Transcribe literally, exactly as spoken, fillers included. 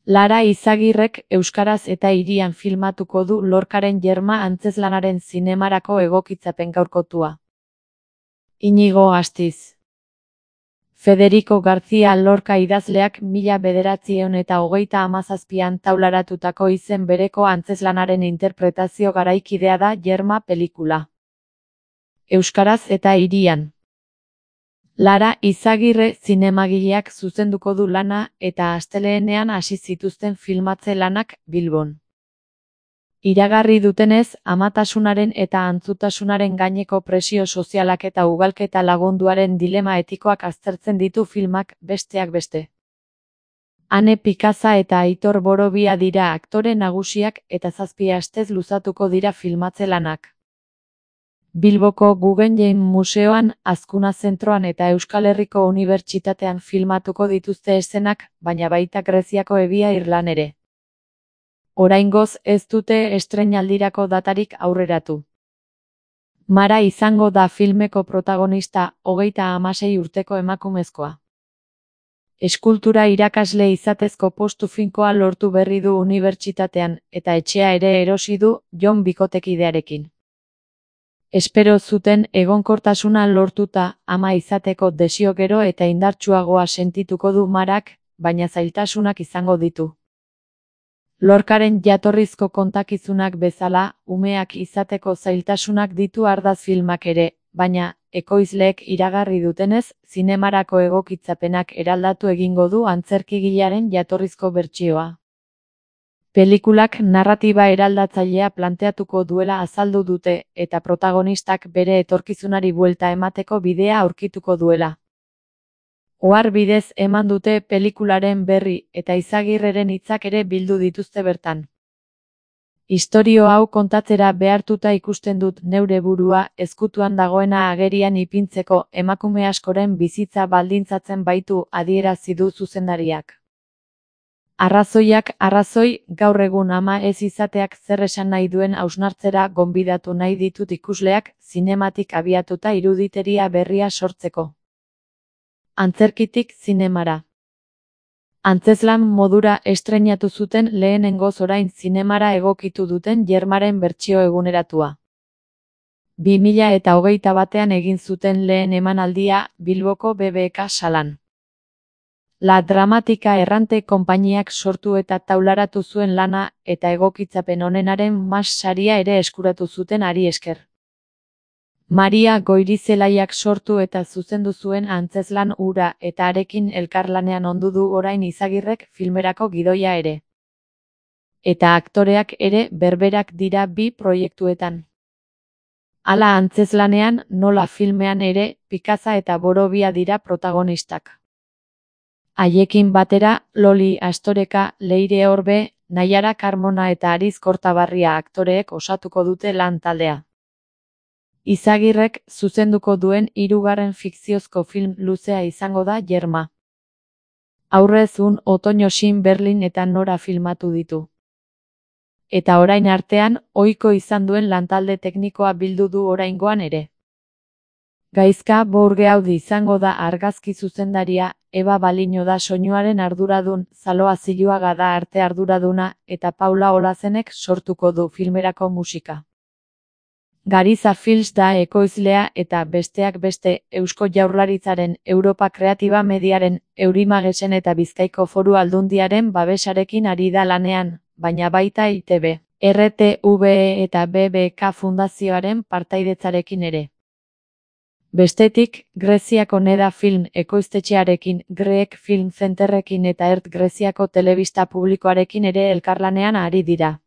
Lara Izagirrek euskaraz eta hirian filmatuko du Lorcaren Yerma antzezlanaren zinemarako egokitzapen gaurkotua. Iñigo Astiz. Federico García Lorca idazleak mila bederatziehun eta hogeita hamazazpian taularatutako izen bereko antzezlanaren interpretazio garaikidea da Yerma pelikula. Euskaraz eta hirian. Lara Izagirre zinemagileak zuzenduko du lana eta astelehenean hasi zituzten filmatze lanak Bilbon. Iragarri dutenez, amatasunaren eta antzutasunaren gaineko presio sozialak eta ugalketa lagunduaren dilema etikoak aztertzen ditu filmak, besteak beste. Ane Pikaza eta Aitor Borobia dira aktore nagusiak eta zazpi astez luzatuko dira filmatze lanak. Bilboko Guggenheim Museoan, Azkuna Zentroan eta Euskal Herriko Unibertsitatean filmatuko dituzte eszenak, baina baita Greziako Ebia Irlan ere. Oraingoz ez dute estreinaldirako datarik aurreratu. Mara izango da filmeko protagonista, hogeita hamasei urteko emakumezkoa. Eskultura irakasle izatezko postu finkoa lortu berri du unibertsitatean, eta etxea ere erosi du Jon bikotekidearekin. Espero zuten egonkortasuna lortuta, ama izateko desio gero eta indartsuagoa sentituko du Marak, baina zailtasunak izango ditu. Lorcaren jatorrizko kontakizunak bezala, umeak izateko zailtasunak ditu ardatz filmak ere, baina, ekoizleek iragarri dutenez, zinemarako egokitzapenak eraldatu egingo du antzerkigilearen jatorrizko bertsioa. Pelikulak narratiba eraldatzailea planteatuko duela azaldu dute, eta protagonistak bere etorkizunari buelta emateko bidea aurkituko duela. Ohar bidez eman dute pelikularen berri, eta Izagirreren hitzak ere bildu dituzte bertan. Istorio hau kontatzera behartuta ikusten dut neure burua, ezkutuan dagoena agerian ipintzeko, emakume askoren bizitza baldintzatzen baitu, adierazi du zuzendariak. Arrazoiak arrazoi, gaur egun ama ez izateak zer esan nahi duen hausnartzera gonbidatu nahi ditut ikusleak, zinematik abiatuta iruditeria berria sortzeko. Antzerkitik zinemara. Antzezlan modura estreinatu zuten lehenengoz orain zinemara egokitu duten Yermaren bertsio eguneratua. bi mila eta hogeita batean egin zuten lehen emanaldia Bilboko B B K salan. La Dramatika errante konpainiak sortu eta taularatu zuen lana, eta egokitzapen onenaren mas saria ere eskuratu zuten hari esker. Maria Goirizelaiak sortu eta zuzendu zuen antzezlan hura eta harekin elkarlanean ondu du orain Izagirrek filmerako gidoia ere. Eta aktoreak ere berberak dira bi proiektuetan. Hala antzezlanean, nola filmean ere, Pikaza eta Borobia dira protagonistak. Haiekin batera, Loli Astoreka, Leire Orbe, Naiara Carmona eta Ariz Kortabarria aktoreek osatuko dute lan taldea. Izagirrek zuzenduko duen hirugarren fikziozko film luzea izango da Yerma. Aurrez un Otoño sin Berlin eta Nora filmatu ditu. Eta orain artean, ohiko izan duen lantalde teknikoa bildu du oraingoan ere. Gaizka Bourgeaudi izango da argazki zuzendaria, Eba Baliño da soinuaren arduradun, Zaloa Ziluaga da arte arduraduna, eta Paula Olazenek sortuko du filmerako musika. Gariza Films da ekoizlea eta besteak beste, Eusko Jaurlaritzaren, Europa Kreatiba Mediaren, Eurimagesen eta Bizkaiko Foru Aldundiaren babesarekin ari da lanean, baina baita I T B, R T V E eta B B K Fundazioaren partaidetzarekin ere. Bestetik, Greziako Neda Film ekoiztetxearekin, Greek Film Centerrekin eta Ert Greziako telebista publikoarekin ere elkarlanean ari dira.